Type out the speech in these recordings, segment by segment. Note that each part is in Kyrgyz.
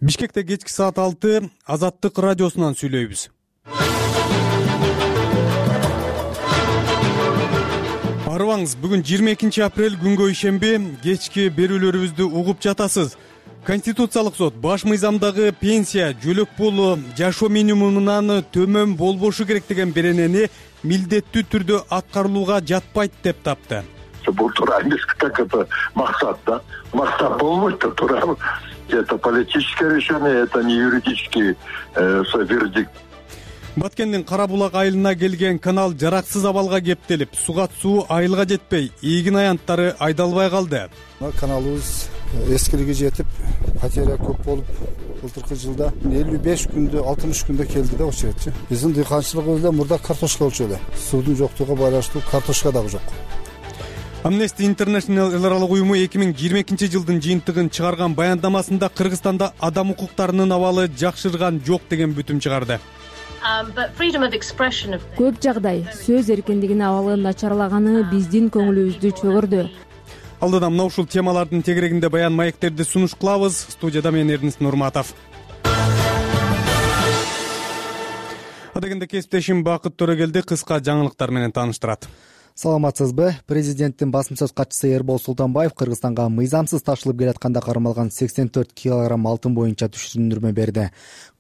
Бишкекте кечки саат 6 Азаттык радиосунан сүйлөйбүз. Арыбаңыз, бүгүн 22 апрель күнгө ишемби, кечки берүүлөрүбүздү угуп жатасыз. Конституциялык сот баш мыйзамдагы пенсия жөлөк пулу жашоо минимумунан төмөн болбошу керек деген беренени милдеттүү түрдө аткарылууга жатпайт деп тапты. Бул туура эмес, так это максат, да. Максат болбойт, туура. Это политическое решение, это не юридический вердикт. Баткендин Кара булак айылына келген канал жараксыз абалга кептелип, суга суу айылга жетпей, ийгин аянттары айдалбай калды. Каналыбыз эскилиги жетип, потеря көп болуп, былтыркы жылда 55 күндө, 60 күндө келди да ошо жерчи. Биздин дыйканчылыгыбызда мурда картошка болчу эле. Суудун жоктугуна байланыштуу картошка дагы жок. Amnesty International эл аралык уюму 2022 жылдын жыйынтыгын чыгарган баяндамасында Кыргызстанда адам укуктарынын абалы жакшырган жок деген бүтүм чыгарды. Көп жагдай сөз эркиндигинин абалы начарлаганы биздин көңүлүбүздү чөгөрдү. Алдыда мына ушул темалардын тегерегинде баян маектерди сунуш кылабыз. Студияда мен Эрнис Нурматов. Адегенде кесиптешим Бакыт Төрөгелди кыска жаңылыктар менен тааныштырат. Саламатсызбы? Президенттин басым сөз катчысы Эрбол Султанбаев Кыргызстанга мыйзамсыз ташылып келатканда кармалган 84 килограмм алтын боюнча түшүндүрмө берди.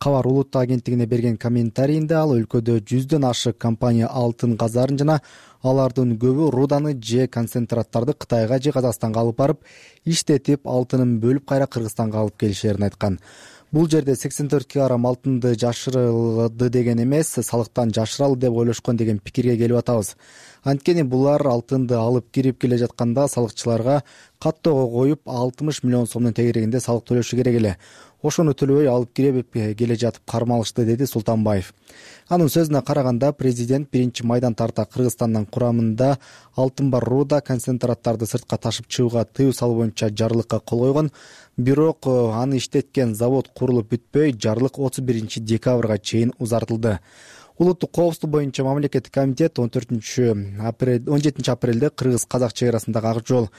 Кабар улуттук агенттигине берген комментарийинде ал өлкөдө 100дөн ашык компания алтын газарын жана алардын көбү руданы же концентраттарды Кытайга же Казакстанга алып барып, иштетип, алтынын бөлүп кайра Кыргызстанга алып келишерин айткан. Бул жерде 84 килограмм алтынды жашырылды деген эмес, салыктан жашыралы деп ойлошкон деген пикирге келип атабыз. Анткени булар алтынды алып кирип келе жатканда салыкчыларга каттоого коюп 60 миллион сомдун тегерегинде салык төлөшү керек эле. Ошону төлөбөй алып кирип келе жатып кармалышты, деди Султанбаев. Анын сөзүнө караганда, президент биринчи майдан тарта Кыргызстандын курамында алтын бар руда концентраттарды сыртка ташып чыгууга тыюу салуу боюнча жарлыкка кол койгон. Бирок аны иштеткен завод курулуп бүтпөй, жарлык 31 декабрга чейин узартылды. Улуттук коопсуздук боюнча мамлекеттик комитет 17 апрелде Кыргыз-Казак чек арасындагы ак жол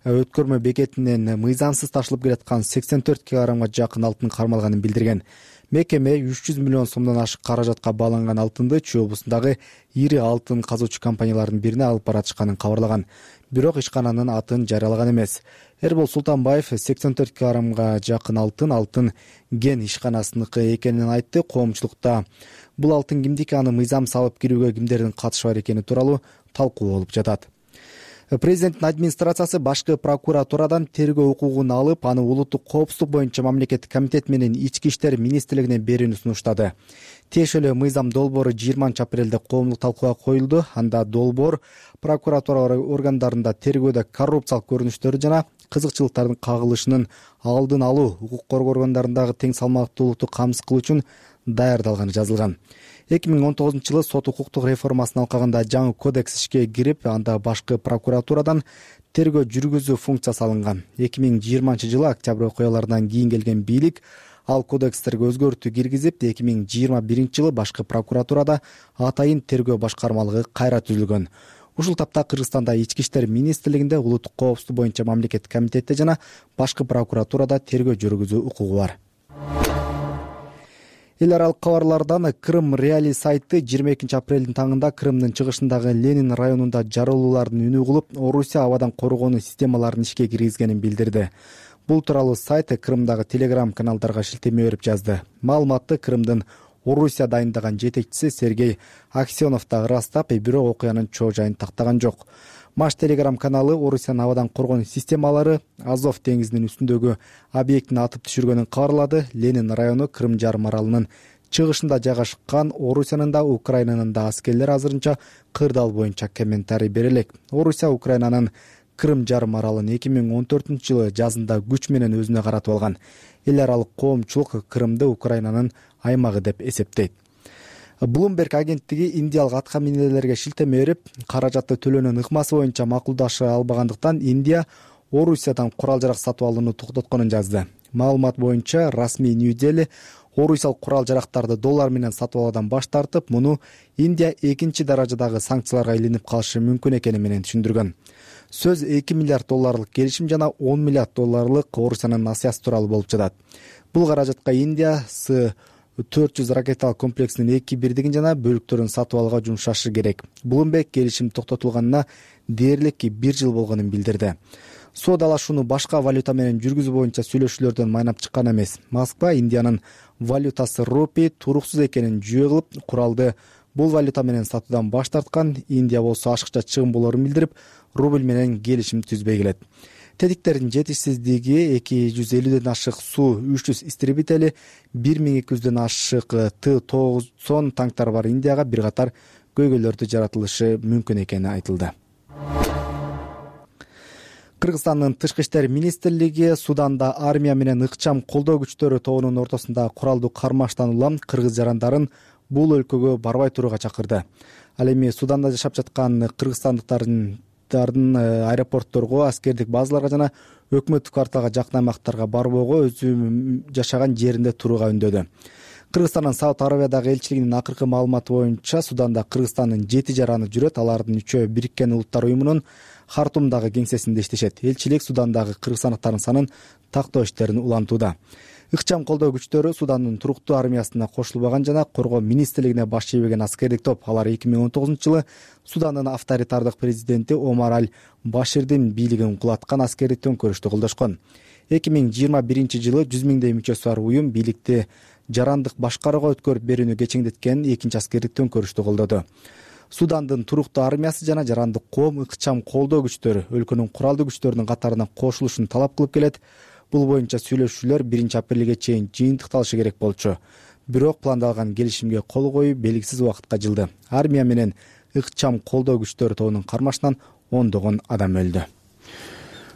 өткөрмө бекетинен мыйзамсыз ташылып келаткан 84 килограммга жакын алтын кармалганын билдирген. Мекеме 300 миллион сомдон ашык каражатка бааланган алтынды Чүй облусундагы ири алтын казуучу компаниялардын бирине алып баратышканын кабарлаган. Бирок ишкананын атын жарыялаган эмес. Эрбол Султанбаев 84 килограммга жакын алтын ген ишканасыныкы экенин айтты. Коомчулукта бул алтын кимдики, аны мыйзамсыз алып кирүүгө кимдердин катышы бар экени тууралуу талкуу болуп жатат. Президенттин администрациясы башкы прокуратурадан тергөө укугун алып, аны улуттук коопсуздук боюнча мамлекеттик комитет менен ички иштер министрлигине берүүнү сунуштады. Тиешелүү мыйзам долбоору 20 апрелде коомдук талкууга коюлду. Анда долбоор прокуратура органдарында тергөөдө коррупциялык көрүнүштөрдү жана кызыкчылыктардын кагылышынын алдын алуу, укук коргоо органдарындагы тең салмактуулукту камсыз кылуу үчүн даярдалганы жазылган. 2019 жылы сот укуктук реформасын алкагында жаңы кодекс ишке кирип, анда башкы прокуратурадан тергөө жүргүзүү функциясы алынган. 2020 жылы октябрь окуяларынан кийин келген бийлик ал кодекстерге өзгөртүү киргизип, 2021 жылы башкы прокуратурада атайын тергөө башкармалыгы кайра түзүлгөн. Ушул тапта Кыргызстанда ички иштер министрлигинде улуттук коопсуздук боюнча мамлекеттик комитетте жана башкы прокуратурада тергөө жүргүзүү укугу бар. Эл аралык кабарлардан Крым Реали сайты 22 апрелдин таңында Крымдын чыгышындагы Ленин районунда жарылуулардын үнү угулуп, Орусия абадан коргонуу системаларын ишке киргизгенин билдирди. Бул тууралуу сайт Крымдагы телеграм каналдарга шилтеме берип жазды. Маалыматты Крымдын Орусия дайындаган жетекчиси Сергей Аксенов да ырастап, бирок окуянын чоо жайын тактаган жок. Маш телеграм каналы Орусиянын абадан коргонуу системалары Азов деңизинин үстүндөгү объектини атып түшүргөнүн кабарлады. Ленин району Крым жарым аралынын чыгышында жайгашкан. Орусиянын да Украинанын да аскерлери азырынча кырдаал боюнча комментарий бере элек. Орусия Украинанын Крым жарым аралын 2014 жылы жазында күч менен өзүнө каратып алган. Эл аралык коомчулук Крымды Украинанын аймагы деп эсептейт. Bloomberg агенттиги индиялык атка минелерге шилтеме берип, каражатты төлөөнүн ыкмасы боюнча макулдаша албагандыктан Индия Орусиядан курал-жарак сатып алууну токтотконун жазды. Маалымат боюнча расмий Нью-Дели орусиялык курал-жарактарды доллар менен сатып алуудан баш тартып, муну Индия экинчи даражадагы санкцияларга илинип калышы мүмкүн экени менен түшүндүргөн. Сөз 2 миллиард долларлык келишим жана 10 миллиард долларлык Орусиянын насыясы тууралуу болуп жатат. Бул каражатка Индия С-400 ракеталык комплексинин 2/1 жана бөлүктөрүн сатып алууга жумшашы керек. Bloomberg келишим токтотулганына дээрлик 1 жыл болгонун билдирди. Соодалашууну башка валюта менен жүргүзүү боюнча сүйлөшүүлөрдөн майнап чыккан эмес. Москва Индиянын валютасы рупий туруксуз экенин жүйө кылып, куралды бул валюта менен сатуудан баш тарткан. Индия болсо ашыкча чыгым болорун билдирип, рубль менен келишим түзбөй келет. Тетиктердин жетишсиздиги 250ден ашык Су-300 истребители, 1200ден ашык Т-90 танктар бар Индияга бир катар көйгөйлөрдү жаратылышы мүмкүн экени айтылды. Кыргызстандын Тышкы иштер министрлиги Суданда армия менен ыкчам колдоо күчтөрү тобунун ортосунда куралдуу кармаштан улам кыргыз жарандарын бул өлкөгө барбай турууга чакырды. Ал эми Суданда жашап жаткан кыргызстандыктардын аэропортторго, аскердик базаларга жана өкмөттүк кварталга жакын аймактарга барбоого, өзү жашаган жеринде турууга үндөдү. Кыргызстандын Сауд Арабиядагы элчилигинин акыркы маалыматы боюнча Суданда Кыргызстандын 7 жараны жүрөт. Алардын 3-өө Бириккен Улуттар уюмунун Хартумдагы кеңсесинде иштешет. Элчилик Судандагы кыргызстандыктардын санын тактоо иштерин улантууда. Ыкчам колдоо күчтөрү Судандын туруктуу армиясына кошулбаган жана коргоо министрлигине баш ийбеген аскердик топ. Алар 2019-жылы Судандын авторитардык президенти Омар Аль-Баширдин бийлигин кулаткан аскердик төңкөрүштү колдошкон. 2021-жылы 100 миңдей мүчөсү бар уюм бийликти жарандык башкарууга өткөрүп берүүнү кечеңдеткен экинчи аскердик төңкөрүштү колдоду. Судандын туруктуу армиясы жана жарандык коом ыкчам колдоо күчтөрү өлкөнүн куралдуу күчтөрүнүн катарына кошулушун талап кылып келет. Бул боюнча сүйлөшүүлөр 1-апрелге чейин жыйынтыкталышы керек болчу. Бирок пландалган келишимге кол коюу белгисиз убакытка жылды. Армия менен ыкчам колдоо күчтөрү тобунун кармашынан ондогон адам өлдү.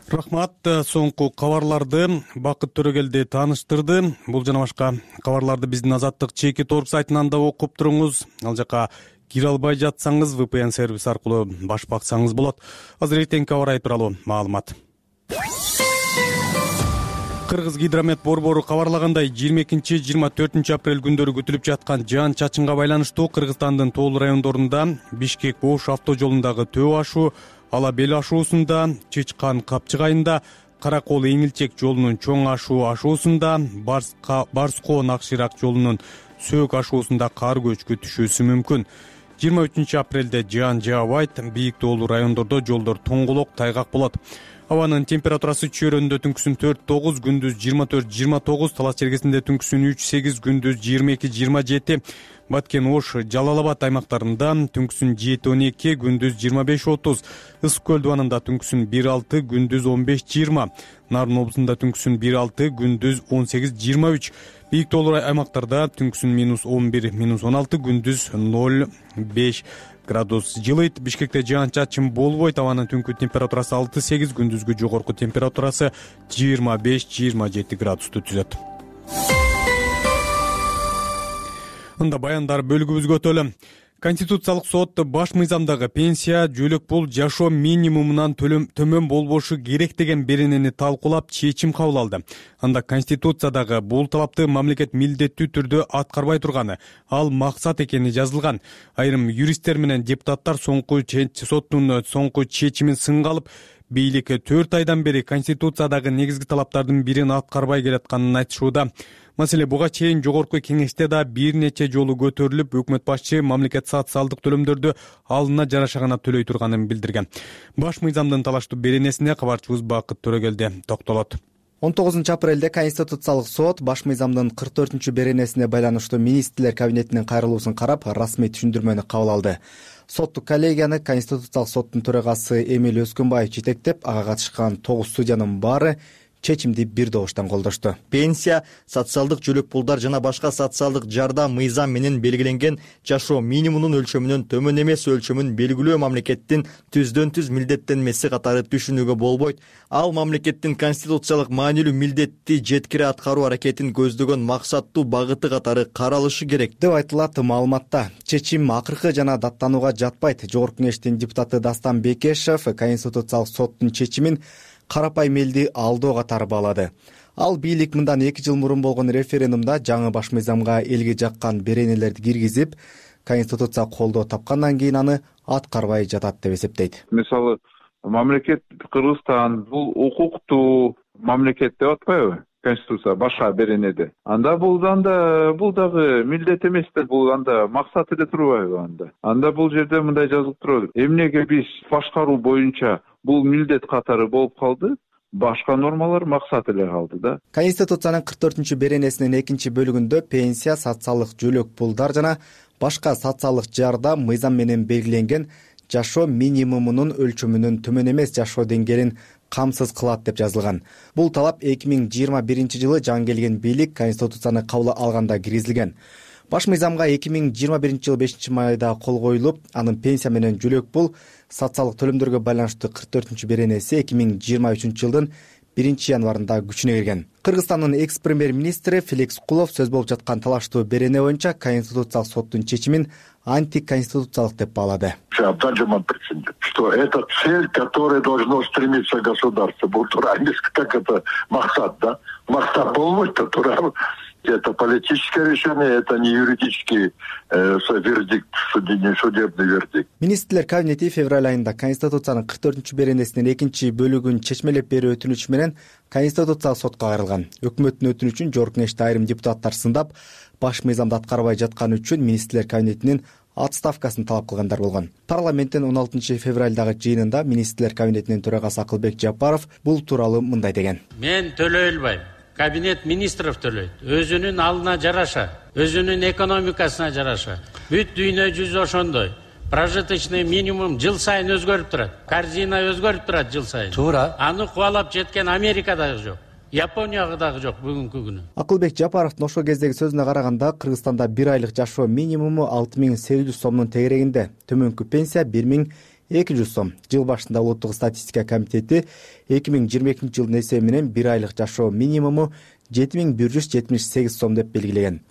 Рахмат. Соңку кабарларды Бакыт Төрөгелди тааныштырды. Бул жана башка кабарларды биздин Азаттык чеки торп сайтынан да окуп туруңуз. Ал жака кире албай жатсаңыз VPN сервис аркылуу баш баксаңыз болот. Азыр эртеңки аба ырайы тууралуу маалымат. Кыргыз гидромет борбору кабарлагандай 22-24 апрель күндөрү күтүлүп жаткан жаан-чачынга байланыштуу Кыргызстандын тоол райондорунда Бишкек-Ош автожолундагы Төө ашуу, Ала Бел ашуусунда, Чычкан-Капчык айында, Каракол-Эңилчек жолунун Чоң ашуусунда, Барскоо-Накширак жолунун Сөөк ашуусунда кар көчкү түшүүсү мүмкүн. 23 апрелде жаан жаабайт, бийик тоолуу райондордо жолдор тоңголок, тайгак болот. Абанын температурасы чөйрөндө түнкүсүн 4-9, күндүз 24-29, Талас чергесинде түнкүсүн 3-8, күндүз 22-27, Баткен-Ош, Жалал-Абад аймактарында түнкүсүн 7-12, күндүз 25-30, Ысык көл дубанында түнкүсүн 1-6, күндүз 15-20, Нарын облусунда түнкүсүн 1-6, күндүз 18-23, бийик тоолуу аймактарда түнкүсүн -11, -16, күндүз 0-5 градус жылыйт. Бишкекте жаан-чачын болбойт. Абанын түнкү температурасы 6-8, күндүзгү жогорку температурасы 25-27 градусту түзөт. Ында баяндар бөлүгүбүзгө өтөлү. Конституциялык сот баш мыйзамдагы пенсия жөлөк пул жашоо минимумунан төмөн болбошу керек деген беренени талкуулап чечим кабыл алды. Анда Конституциядагы бул талапты мамлекет милдеттүү түрдө аткарбай турганы, ал максат экени жазылган. Айрым юристтер менен депутаттар соттун соңку чечимин сынга алып, бийлик 4 айдан бери Конституциядагы негизги талаптардын бирин аткарбай келатканын айтышууда. Маселе буга чейин жогорку кеңеште да бир нече жолу көтөрүлүп, өкмөт башчы мамлекет социалдык төлөмдөрдү алына жараша гана төлөй турганын билдирген. Баш мыйзамдын талаштуу беренесине кабарчыбыз Бакыт Төрөгелди токтолот. 19 апрелде Конституциялык сот баш мыйзамдын 44 беренесине байланыштуу министрлер кабинетинин кайрылуусун карап, расмий түшүндүрмөнү кабыл алды. Соттук коллегияны Конституциялык соттун төрагасы Эмил Өскөнбаев жетектеп, ага катышкан 9 судьянын баары чечимди бир добуштан колдошту. Пенсия, социалдык жөлөк пулдар жана башка социалдык жардам мыйзам менен белгиленген жашоо минимумунун өлчөмүнөн төмөн эмес өлчөмүн белгилөө мамлекеттин түздөн-түз милдеттенмеси катары түшүнүүгө болбойт. Ал мамлекеттин конституциялык маанилүү милдетти жеткире аткаруу аракетин көздөгөн максаттуу багыты катары каралышы керек деп айтылат маалыматта. Чечим акыркы жана даттанууга жатпайт. Жогорку кеңештин депутаты Дастан Бекешев Конституциялык соттун чечимин карапайым элди алдоо катары баалады. Ал бийлик мындан 2 жыл мурун болгон референдумда жаңы баш мыйзамга элге жаккан беренелерди киргизип, Конституция колдоо тапкандан кийин аны аткарбай жатат деп эсептейт. Мисалы, Мамлекет Кыргызстан бул укуктуу мамлекет деп атпайбы? Конституция башка беренеде. Анда бул дагы милдет эмес да, бул анда максат эле турбайбы анда? Анда бул жерде мындай жазылып турат. Эмнеге биз башкаруу боюнча бул милдет катары болуп калды? Башка нормалар максат эле калды да. Конституциянын 44 беренесинин 2-бөлүгүндө пенсия, социалдык жөлөк пулдар жана башка социалдык жардам мыйзам менен белгиленген жашоо минимумунун өлчөмүнөн төмөн эмес жашоо деңгээлин камсыз кылат деп жазылган. Бул талап 2021 жылы жаңы келген бийлик Конституцияны кабыл алганда киргизилген. Баш мыйзамга 2021 жылы 5-майда кол коюлуп, анын пенсия менен жөлөк пул социалдык төлөмдөргө байланыштуу 44 беренеси 2023 жылдын 1-январында күчүнө кирген. Кыргызстандын экс-премьер-министри Феликс Кулов сөз болуп жаткан талаштуу берене боюнча Конституциялык соттун чечимин антиконституциялык деп баалады. Что это цель, к которой должно стремиться государство. Бул туура эмес, как это максат, да? Максат болбойт да, туура. Это политическое решение, это не юридический вердикт, судебный вердикт. Министрлер кабинети февраль айында Конституциянын 44 беренесинин 2-бөлүгүн чечмелеп берүү өтүнүчү менен Конституциялык сотко кайрылган. Өкмөттүн өтүнүчүн жогорку кеңеште айрым депутаттар сындап, баш мыйзамды аткарбай жатканы үчүн министрлер кабинетинин отставкасын талап кылгандар болгон. Парламенттин 16 февралдагы жыйынында министрлер кабинетинин төрагасы Акылбек Жапаров бул тууралуу мындай деген. Мен төлөй албайм. Кабинет министров төлөйт. Өзүнүн алына жараша, өзүнүн экономикасына жараша. Бүт дүйнө жүзү ошондой. Прожиточный минимум жыл сайын өзгөрүп турат. Корзина өзгөрүп турат жыл сайын. Туура. Аны кубалап жеткен Америка дагы жок. Японияга дагы жок бүгүнкү күнү. Акылбек Жапаровдун ошол кездеги сөзүнө караганда, Кыргызстанда 1 айлык жашоо минимуму 6800 сомдун тегерегинде, төмөнкү пенсия 1200 сом. Жыл башында Улуттук статистика комитети 2022 жылдын эсеби менен 1 айлык жашоо минимуму 7178 сом деп белгилеген.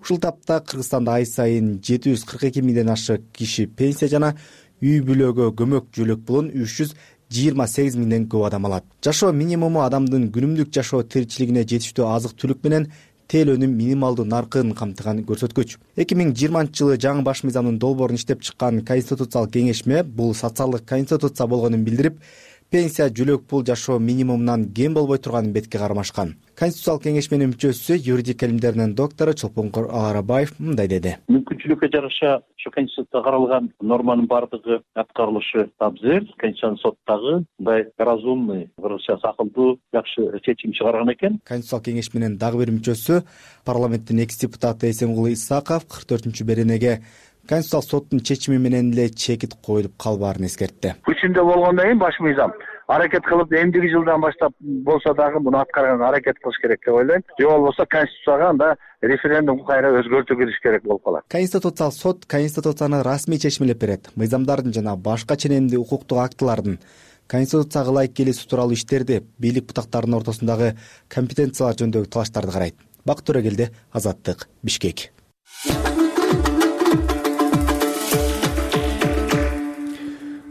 Ушул тапта Кыргызстанда ай сайын 742 миңден ашык киши пенсия жана үй бүлөгө көмөк жөлөк пулун 328 миңден көп адам алат. Жашоо минимуму адамдын күнүмдүк жашоо тиричилигине жетиштүү азык түлүк менен тейлөөнүн минималдуу наркын камтыган көрсөткүч. 2020 жылы жаңы баш мыйзамдын долбоорун иштеп чыккан Конституциялык кеңешме бул социалдык конституция болгонун билдирип, пенсия, жөлөк пул жашоо минимумунан кем болбой турганын бетке кармашкан. Конституциялык кеңешменин мүчөсү, юридик илимдеринин доктору Чолпонкор Аларабаев мындай деди. Мүмкүнчүлүккө жараша ошо Конституцияда каралган норманын бардыгы аткарылышы абзел. Конституциялык сот дагы мындай разумный, кыргызча акылдуу, жакшы чечим чыгарган экен. Конституциялык кеңешменин дагы бир мүчөсү, парламенттин экс-депутаты Эсенгул Исаков 44 беренеге Конституциялык соттун чечими менен эле чекит коюлуп калбаарын эскертти. Күчүндө болгондон кийин баш мыйзам аракет кылып, эмдиги жылдан баштап болсо дагы муну аткарганга аракет кылыш керек деп ойлойм. Же болбосо Конституцияга анда референдум кайра өзгөртүү кириш керек болуп калат. Конституциялык сот Конституцияны расмий чечмелеп берет. Мыйзамдардын жана башка ченемдүү укуктук актылардын Конституцияга ылайык келүүсү тууралуу иштерди, бийлик бутактарынын ортосундагы компетенциялар жөнүндөгү талаштарды карайт. Бакыт Төрөгелди, Азаттык, Бишкек.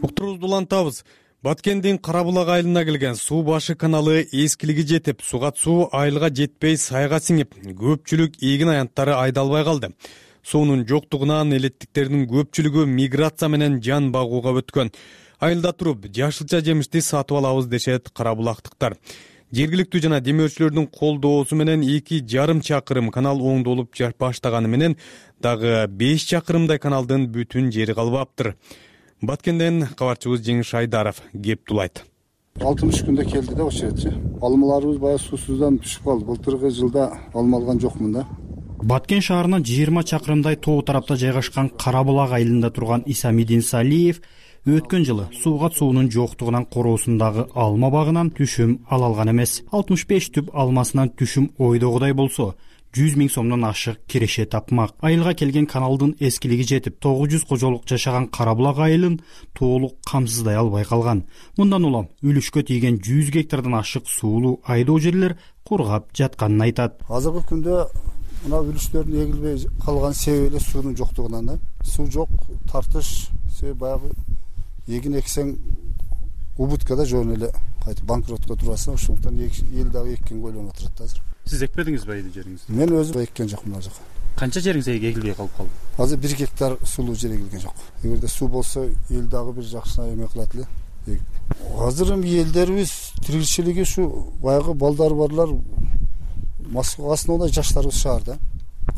Уктуруубузду улантабыз. Баткендин Карабулак айылына келген суу башы каналы эскилиги жетип, сугат суу айылга жетпей сайга сиңип, көпчүлүк эгин аянттары айдалбай калды. Суунун жоктугунан элеттиктердин көпчүлүгү миграция менен жан багууга өткөн. Айылда туруп, жашылча жемишти сатып алабыз дешет карабулактыктар. Жергиликтүү жана демөөрчүлөрдүн колдоосу менен 2,5 чакырым канал оңдолуп баштаганы менен дагы 5 чакырымдай каналдын бүтүн жери калбаптыр. Баткенден кабарчыбыз Жеңиш Айдаров кеп тулайт. 60 күндө келди да ошол жерчи. Алмаларыбыз баягы суусуздан түшүп калды. Былтыркы жылда алма алган жокмун да. Баткен шаарынан 20 чакырымдай тоо тарапта жайгашкан Карабулак айылында турган Исамидин Салиев өткөн жылы суугат суунун жоктугунан короосундагы алма багынан түшүм ала алган эмес. 65 түп алмасынан түшүм ойдогудай болсо 100 000 сомдон ашык киреше тапмак. Айылга келген каналдын эскилиги жетип, 900 кожолук жашаган Карабулак айылын толук камсыздай албай калган. Мындан улам үлүшкө тийген 100 гектардан ашык суулуу айдоо жерлер кургап жатканын айтат. Азыркы күндө мына үлүштөрдүн эгилбей калган себеби эле суунун жоктугунан да. Суу жок, тартыш, баягы эгин эксең убуткада жөн эле кайтып банкротко турасың, ошондуктан эл дагы эккенге ойлонуп отурат азыр. Сиз экпедиңизби айыл жериңизди? Мен өзүм эккен жокмун азыр. Канча жериңиз эгилбей калып калды? Азыр 1 гектар сулуу жер эгилген жок. Эгерде суу болсо эл дагы бир жакшы эме кылат эле. Азыр эми элдерибиз тиричилиги ушу баягы балдары барлар Москвага основной жаштарыбыз шаарда.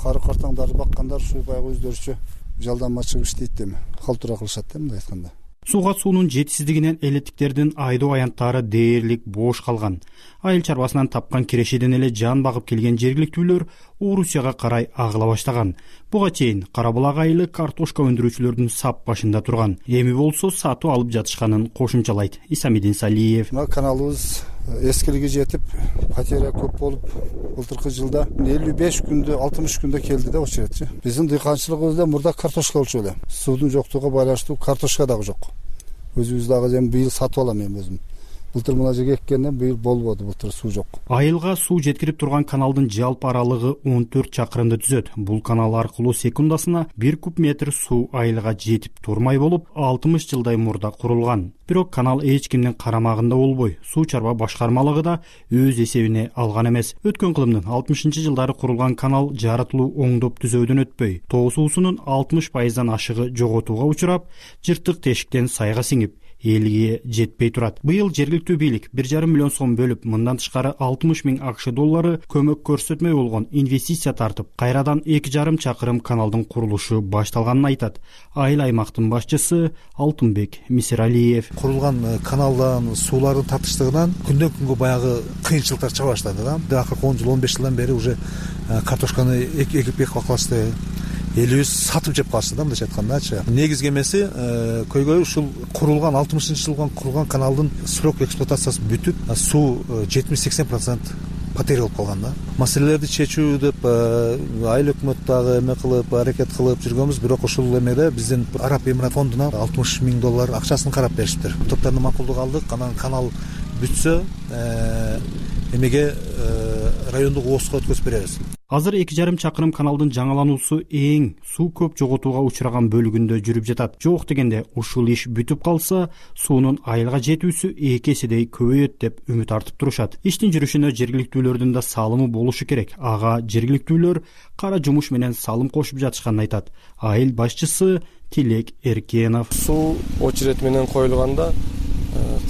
Кары картаңдарды баккандар ушу баягы өздөрүчө жалданма чыгып иштейт эми. Калтура кылышат да мындай айтканда. Сууга суунун жетишсиздигинен элеттиктердин айдоо аянттары дээрлик бош калган. Айыл чарбасынан тапкан кирешеден эле жан багып келген жергиликтүүлөр Орусияга карай агыла баштаган. Буга чейин Кара Булак айылы картошка өндүрүүчүлөрдүн сап башында турган. Эми болсо сатып алып жатышканын кошумчалайт Исамидин Салиев. Мына каналыбыз эскилиги жетип, потеря көп болуп, былтыркы жылда 55 күндө, 60 күндө келди да очередчи. Биздин дыйканчылыгыбызда мурда картошка болчу эле. Суудун жоктугуга байланыштуу картошка дагы жок. Өзүбүз дагы эми быйыл сатып алам эми өзүм. Былтыр мына жерге эккенден быйыл болбоду, былтыр суу жок. Айылга суу жеткирип турган каналдын жалпы аралыгы 14 чакырымды түзөт. Бул канал аркылуу секундасына 1 куб метр суу айылга жетип турмай болуп, 60 жылдай мурда курулган. Бирок канал эч кимдин карамагында болбой, суу чарба башкармалыгы да өз эсебине алган эмес. Өткөн кылымдын 60-жылдары курулган канал жаратылуу оңдоп түзөөдөн өтпөй, тоо суусунун 60% ашыгы жоготууга учурап, жыртык тешиктен сайга сиңип, элге жетпей турат. Быйыл жергиликтүү бийлик 1,5 миллион сом бөлүп, мындан тышкары 60 000 акш доллары көмөк көрсөтмөй болгон инвестиция тартып, кайрадан 2,5 чакырым каналдын курулушу башталганын айтат айыл аймактын башчысы Алтынбек Мисиралиев. Курулган каналдан суулардын татыштыгынан күндөн күнгө баягы кыйынчылыктар чыга баштады да. Акыркы 10 жыл, 15 жылдан бери уже картошканы экип бакалашты. Элибиз сатып жеп калышты да, мындайча айткандачы. Негизги эмеси көйгөй ушул курулган 60-жылдан курулган каналдын срок эксплуатациясы бүтүп, суу 70-80% потеря болуп калган да. Маселелерди чечүү деп айыл өкмөт дагы эме кылып, аракет кылып жүргөнбүз, бирок ушул эмеде биздин Араб Эмират фондуна 60 000 доллар акчасын карап беришиптир. Топтордун макулдук алдык, анан канал бүтсө эмеге райондук ООСко өткөзүп беребиз. Азыр 2,5 чакырым каналдын жаңалануусу эң суу көп жоготууга учураган бөлүгүндө жүрүп жатат. Жок дегенде ушул иш бүтүп калса, суунун айылга жетүүсү 2 эседей көбөйөт деп үмүт артып турушат. Иштин жүрүшүнө жергиликтүүлөрдүн да салымы болушу керек. Ага жергиликтүүлөр кара жумуш менен салым кошуп жатышканын айтат айыл башчысы Тилек Эркенов. Суу очеред менен коюлганда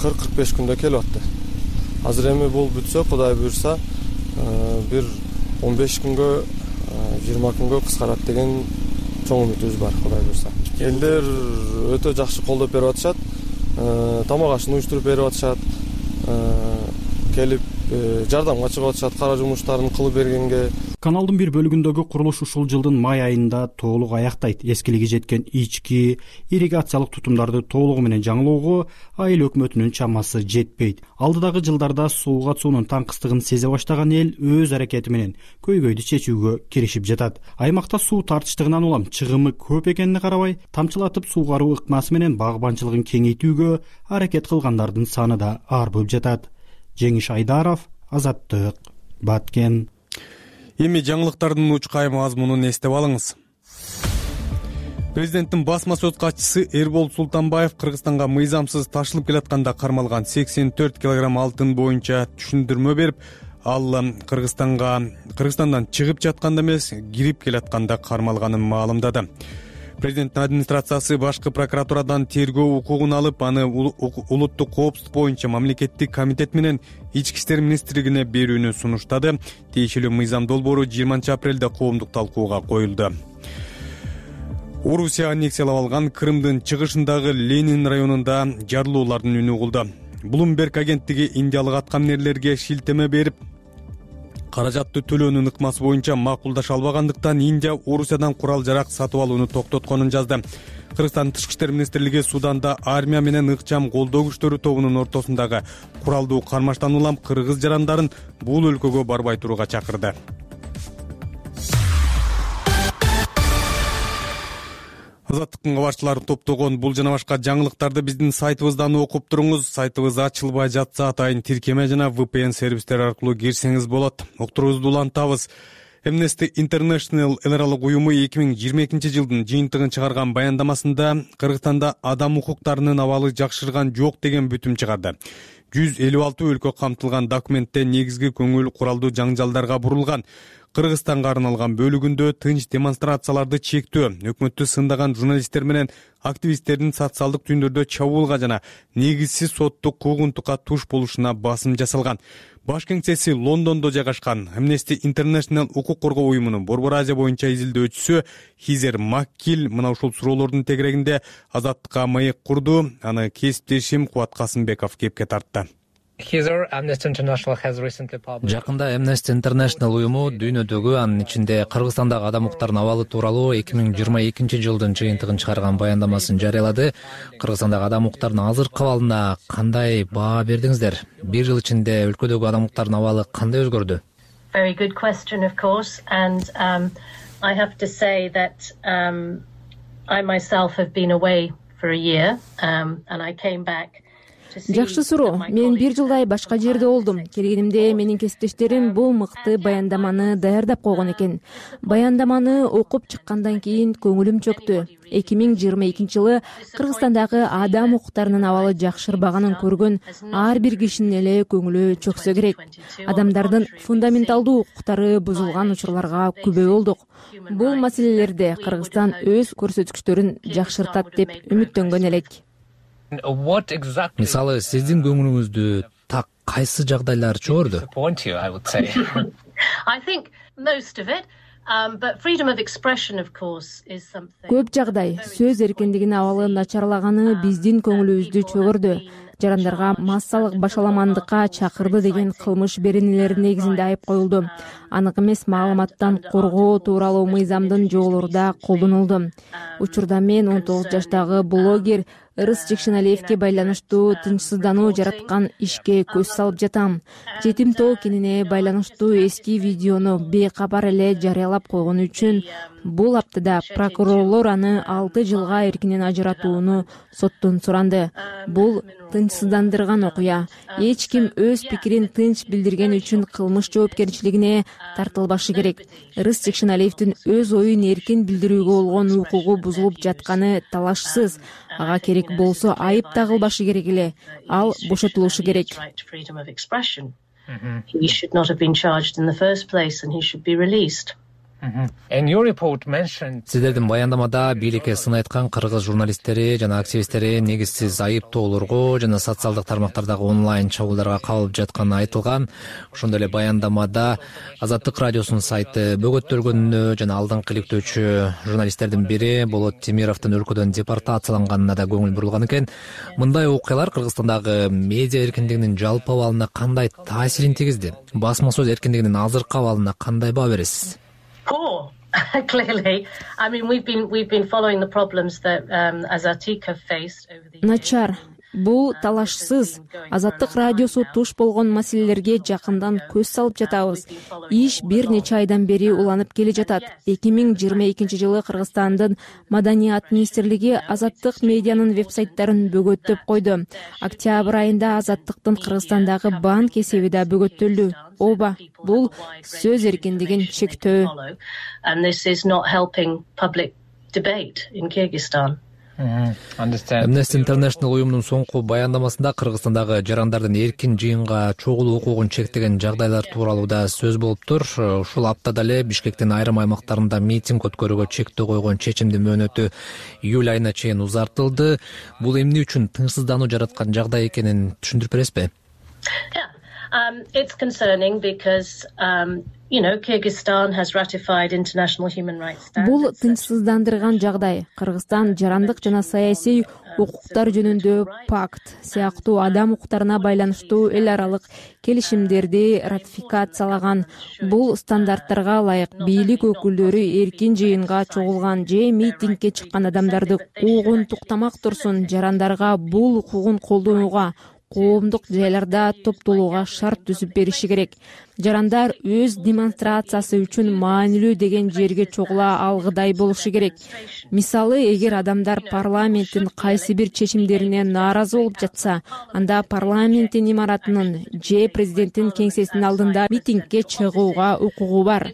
40-45 күндө келип атты. Азыр эми бул бүтсө, Кудай буйрса, бир 15 күнгө, 20 күнгө кыскарат деген чоң үмүтүбүз бар, Кудай буйрса. Элдер өтө жакшы колдоп берип атышат. Тамак ашын уюштуруп берип атышат. Келип жардамга чыгып атышат, кара жумуштарын кылып бергенге. Каналдын бир бөлүгүндөгү курулуш ушул жылдын май айында толук аяктайт. Эскилиги жеткен ички ирригациялык тутумдарды толугу менен жаңылоого айыл өкмөтүнүн чамасы жетпейт. Алдыдагы жылдарда сууга суунун таңкыстыгын сезе баштаган эл өз аракети менен көйгөйдү чечүүгө киришип жатат. Аймакта суу тартыштыгынан улам чыгымы көп экенине карабай, тамчылатып суугаруу ыкмасы менен багбанчылыгын кеңейтүүгө аракет кылгандардын саны да арбып жатат. Жеңиш Айдаров, Азаттык, Баткен. Эми жаңылыктардын учкай мазмунун эстеп алыңыз. Президенттин басма сөз катчысы Эрбол Султанбаев Кыргызстанга мыйзамсыз ташылып келатканда кармалган 84 килограмм алтын боюнча түшүндүрмө берип, ал Кыргызстандан чыгып жатканда эмес, кирип келатканда кармалганын маалымдады. Президенттин администрациясы башкы прокуратурадан тергөө укугун алып, аны улуттук коопсуздук боюнча мамлекеттик комитет менен Ички иштер министрлигине берүүнү сунуштады. Тиешелүү мыйзам долбоору 20 апрелде коомдук талкууга коюлду. Орусия аннексиялап алган Крымдын чыгышындагы Ленин районунда жарылуулардын үнү угулду. Bloomberg агенттиги индиялык аткаминерлерге шилтеме берип, каражатты төлөөнүн ыкмасы боюнча макулдаша албагандыктан Индия Орусиядан курал-жарак сатып алууну токтотконун жазды. Кыргызстан Тышкы иштер министрлиги Суданда армия менен ыкчам колдоо күчтөрү тобунун ортосундагы куралдуу кармаштан улам кыргыз жарандарын бул өлкөгө барбай турууга чакырды. Азаттыктын кабарчылары топтогон бул жана башка жаңылыктарды биздин сайтыбыздан окуп туруңуз. Сайтыбыз ачылбай жатса атайын тиркеме жана VPN сервистер аркылуу кирсеңиз болот. Октурубузду улантабыз. Amnesty International эл аралык уюму 2022 жылдын жыйынтыгын чыгарган баяндамасында Кыргызстанда адам укуктарынын абалы жакшырган жок деген бүтүм чыгарды. 156 өлкө камтылган документте негизги көңүл куралдуу жаңжалдарга бурулган. Кыргызстанга арналган бөлүгүндө тынч демонстрацияларды чектөө, өкмөттү сындаган журналисттер менен активисттердин социалдык түйүндөрдө чабуулга жана негизсиз соттук куугунтукка туш болушуна басым жасалган. Баш кеңсеси Лондондо жайгашкан Amnesty International укук коргоо уюмунун Борбор Азия боюнча изилдөөчүсү Хизер Маккил мына ушул суроолордун тегерегинде Азаттыкка маек курду. Аны кесиптешим Кубат Касымбеков кепке тартты. Жакында Amnesty International уюму дүйнөдөгү, анын ичинде Кыргызстандагы адам укуктарынын абалы тууралуу 2022 жылдын жыйынтыгын чыгарган баяндамасын жарыялады. Кыргызстандагы адам укуктарынын азыркы абалына кандай баа бердиңиздер? Бир жыл ичинде өлкөдөгү адам укуктарынын абалы кандай өзгөрдү? Very good question, of course, and I have to say that I myself have been away for a year, and I came back. Жакшы суроо. Мен бир жылдай башка жерде болдум. Келгенимде менин кесиптештерим бул мыкты баяндаманы даярдап койгон экен. Баяндаманы окуп чыккандан кийин көңүлүм чөктү. 2022 жылы Кыргызстандагы адам укуктарынын абалы жакшырбаганын көргөн ар бир кишинин эле көңүлү чөксө керек. Адамдардын фундаменталдуу укуктары бузулган учурларга күбө болдук. Бул маселелерде Кыргызстан өз көрсөткүчтөрүн жакшыртат деп үмүттөнгөн элек. Мисалы, сиздин көңүлүңүздү так кайсы жагдайлар чыгарды? Көп жагдай сөз эркиндигинин абалы начарлаганы биздин көңүлүбүздү чөгөрдү. Жарандарга массалык башаламандыкка чакырды деген кылмыш беренелери негизинде айып коюлду. Анык эмес маалыматтан коргоо тууралуу мыйзамдын жоболору да колдонулду. Учурда мен 19 жаштагы блогер Ырыс Жекшеналиевке байланыштуу тынчсыздануу жараткан ишке көз салып жатам. Жетим тоо кенине байланыштуу эски видеону бейкабар эле жарыялап койгону үчүн бул аптада прокурорлор аны 6 жылга эркинен ажыратууну соттон суранды. Бул тынчсыздандырган окуя. Эч ким өз пикирин тынч билдирген үчүн кылмыш жоопкерчилигине тартылбашы керек. Ырыс Жекшеналиевдин өз оюн эркин билдирүүгө болгон укугу бузулуп жатканы талашсыз. Ага керек болсо айып тагылбашы керек эле. Ал бошотулушу керек. He should not have been charged in the first place and he should be released. Сиздердин баяндамада бийликке сын айткан кыргыз журналисттери жана активисттери негизсиз айыптоолорго жана социалдык тармактардагы онлайн чабуулдарга кабылып жатканы айтылган. Ошондой эле баяндамада Азаттык радиосунун сайты бөгөттөлгөнүнө жана алдыңкы иликтөөчү журналисттердин бири Болот Темировдун өлкөдөн депортацияланганына да көңүл бурулган экен. Мындай окуялар Кыргызстандагы медиа эркиндигинин жалпы абалына кандай таасирин тийгизди? Басма сөз эркиндигинин азыркы абалына кандай баа бересиз? Poor, clearly. I mean, we've been following the problems that Azatik have faced over the years. Начар. Бул талашсыз. Азаттык радиосу туш болгон маселелерге жакындан көз салып жатабыз. Иш бир нече айдан бери уланып келе жатат. 2022 жылы Кыргызстандын Маданият министрлиги Азаттык медианын вебсайттарын бөгөттөп койду. Октябрь айында Азаттыктын Кыргызстандагы банк эсеби да бөгөттөлдү. Оба, бул сөз эркиндигин чектөө. And this is not helping public debate in Kyrgyzstan. Amnesty International уюмунун соңку баяндамасында Кыргызстандагы жарандардын эркин жыйынга чогулуу укугун чектеген жагдайлар тууралуу да сөз болуптур. Ушул аптада эле Бишкектин айрым аймактарында митинг өткөрүүгө чектөө койгон чечимдин мөөнөтү июль айына чейин узартылды. Бул эмне үчүн тынчсыздануу жараткан жагдай экенин түшүндүрүп бересизби? It's concerning because, Kyrgyzstan has ratified international human rights standards. Бул тынчсыздандырган жагдай. Кыргызстан жарандык жана саясий укуктар жөнүндө пакт сыяктуу адам укуктарына байланыштуу эл аралык келишимдерди ратификациялаган. Бул стандарттарга ылайык бийлик өкүлдөрү эркин жыйынга чогулган же митингге чыккан адамдарды куугун туктамак турсун, жарандарга бул укугун колдонууга коомдук жайларда топтолууга шарт түзүп бериши керек. жарандар өз демонстрациясы үчүн маанилүү деген жерге чогула алгыдай болушу керек. Мисалы, эгер адамдар парламенттин кайсы бир чечимдерине нааразы болуп жатса, анда парламенттин имаратынын же президенттин кеңсесинин алдында митингге чыгууга укугу бар.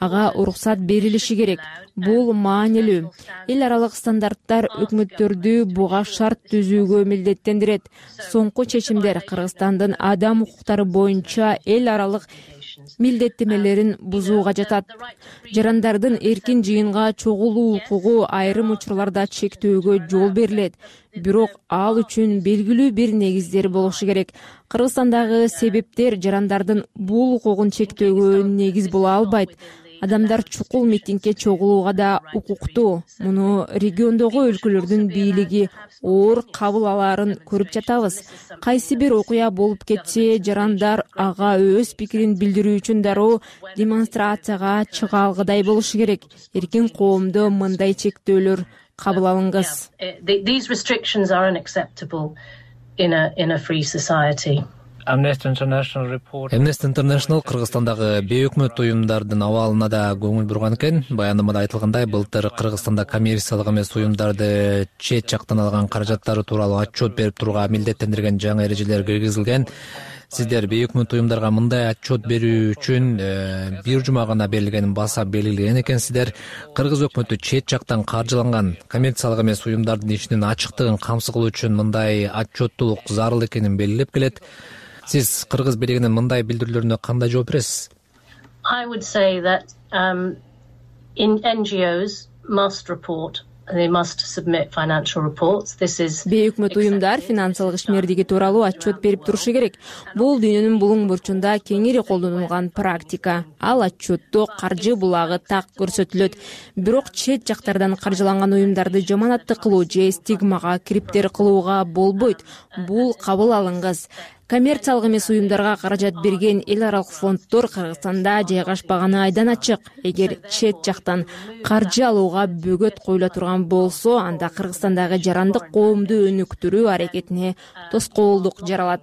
Ага уруксат берилиши керек. Бул маанилүү. Эл аралык стандарттар өкмөттөрдү буга шарт түзүүгө милдеттендирет. Соңку чечимдер Кыргызстандын адам укуктары боюнча эл аралык милдеттемелерин бузууга жатат. Жарандардын эркин жыйынга чогулуу укугу айрым учурларда чектөөгө жол берилет. Бирок ал үчүн белгилүү бир негиздер болушу керек. Кыргызстандагы себептер жарандардын бул укугун чектөөгө негиз боло албайт. Адамдар чукул митингге чогулууга да укуктуу. Муну региондогу өлкөлөрдүн бийлиги оор кабыл алаарын көрүп жатабыз. Кайсы бир окуя болуп кетсе, жарандар ага өз пикирин билдирүү үчүн дароо демонстрацияга чыга алгыдай болушу керек. Эркин коомдо мындай чектөөлөр кабыл алынгыз. These restrictions are unacceptable in a free society. Amnesty International Кыргызстандагы бейөкмөт уюмдардын абалына да көңүл бурган экен. Баяндамада айтылгандай, былтыр Кыргызстанда коммерциялык эмес уюмдарды чет жактан алган каражаттары тууралуу отчет берип турууга милдеттендирген жаңы эрежелер киргизилген. Сиздер бейөкмөт уюмдарга мындай отчет берүү үчүн бир жума гана берилгенин баса белгилеген экенсиздер. Кыргыз өкмөтү чет жактан каржыланган коммерциялык эмес уюмдардын ишинин ачыктыгын камсыз кылуу үчүн мындай отчеттуулук зарыл экенин белгилеп келет. Сиз Кыргыз бийлигинин мындай билдирүүлөрүнө кандай жооп бересиз? I would say that NGOs must report. They must submit financial reports. This is Бейөкмөт уюмдар финансылык ишмердиги тууралуу отчет берип турушу керек. Бул дүйнөнүн булуң бурчунда кеңири колдонулган практика. Ал отчетту каржы булагы так көрсөтүлөт. Бирок чет жактардан каржыланган уюмдарды жаманатты кылуу же стигмага кириптер кылууга болбойт. Бул кабыл алынгыз. Коммерциялык эмес уюмдарга каражат берген эл аралык фонддор Кыргызстанда жайгашпаганы айдан ачык. Эгер чет жактан каржы алууга бөгөт коюла турган болсо, анда Кыргызстандагы жарандык коомду өнүктүрүү аракетине тоскоолдук жаралат.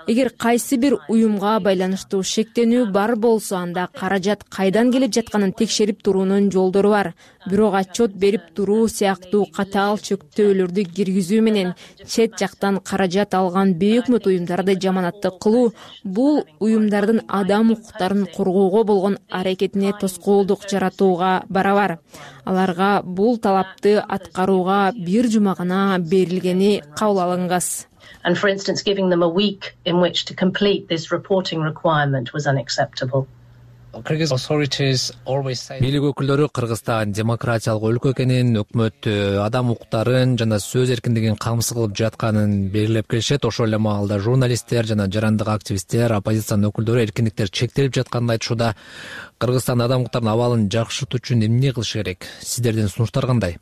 Эгер кайсы бир уюмга байланыштуу шектенүү бар болсо, анда каражат кайдан келип жатканын текшерип туруунун жолдору бар. Бирок отчет берип туруу сыяктуу катаал чектөөлөрдү киргизүү менен чет жактан каражат алган бейөкмөт уюмдарды жаманатты кылуу бул уюмдардын адам укуктарын коргоого болгон аракетине тоскоолдук жаратууга барабар. Аларга бул талапты аткарууга бир жума гана берилгени кабыл алынгыз. And for instance, giving them a week in which to complete this reporting requirement was unacceptable. Бийлик өкүлдөрү Кыргызстан демократиялык өлкө экенин, өкмөт адам укуктарын жана сөз эркиндигин камсыз кылып жатканын белгилеп келишет. Ошол эле маалда журналисттер жана жарандык активисттер, оппозициянын өкүлдөрү эркиндиктер чектелип жатканын айтышууда. Кыргызстан адам укуктарынын абалын жакшыртуу үчүн эмне кылыш керек? Сиздердин сунуштар кандай?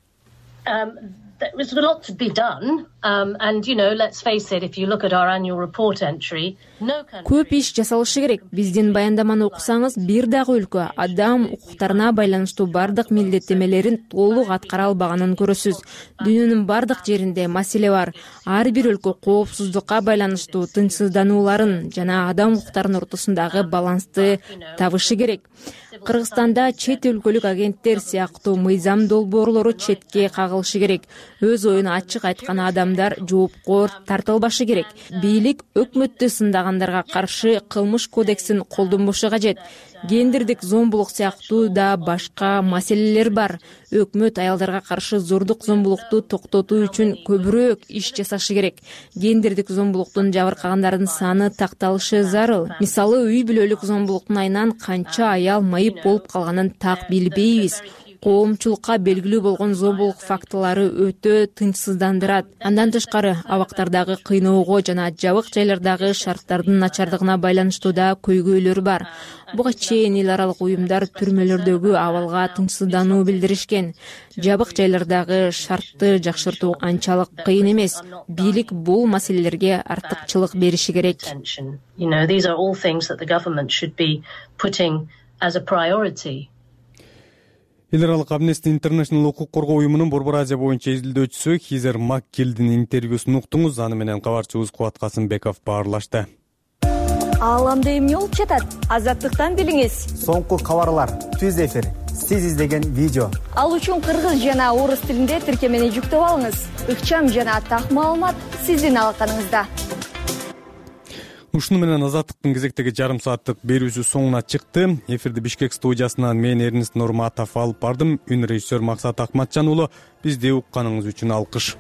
There's a lot to be done, and let's face it, if you look at our annual report entry, no country... Көп иш жасалышы керек. Биздин баяндаманы окусаңыз, бир дагы өлкө адам укуктарына байланыштуу бардык милдеттемелерин толук аткара албаганын көрөсүз. Дүйнөнүн бардык жеринде маселе бар. Ар бир өлкө коопсуздукка байланыштуу тынчсызданууларын жана адам укуктарынын ортосундагы балансты табышы керек. Кыргызстанда чет өлкөлүк агенттер сыяктуу мыйзам долбоорлору четке кагылышы керек. Өз оюн ачык айткан адамдар жоопкор тартылбашы керек. Бийлик өкмөттү сындагандарга каршы кылмыш кодексин колдонбошу кажет. Гендердик зомбулук сыяктуу да башка маселелер бар. Өкмөт аялдарга каршы зордук зомбулукту токтотуу үчүн көбүрөөк иш жасашы керек. Гендердик зомбулуктун жабыркагандардын саны такталышы зарыл. Мисалы, үй бүлөлүк зомбулуктун айынан канча аял майып болуп калганын так билбейбиз. Коомчулукка белгилүү болгон зомбулук фактылары өтө тынчсыздандырат. Андан тышкары, абактардагы кыйноого жана жабык жайлардагы шарттардын начардыгына байланыштуу да көйгөйлөр бар. Буга чейин эл аралык уюмдар түрмөлөрдөгү абалга тынчсыздануу билдиришкен. Жабык жайлардагы шартты жакшыртуу анчалык кыйын эмес. Бийлик бул маселелерге артыкчылык бериши керек. These are all things that the government should be putting as a priority. Эл аралык Amnesty International укук коргоо уюмунун Борбор Азия боюнча изилдөөчүсү Хизер Маккелдин интервьюсун уктуңуз. Аны менен кабарчыбыз Кубат Касымбеков баарлашты. Ааламда эмне болуп жатат? Азаттыктан билиңиз. Соңку кабарлар, түз эфир, сиз издеген видео. Ал үчүн кыргыз жана орус тилинде тиркемени жүктөп алыңыз. Ыкчам жана так маалымат сиздин алаканыңызда. Ушуну менен Азаттыктын кезектеги жарым сааттык берүүсү соңуна чыкты. Эфирди Бишкек студиясынан мен Эрнест Нурматов алып бардым. Үн режиссер Максат Акматжан уулу. Бизди укканыңыз үчүн алкыш.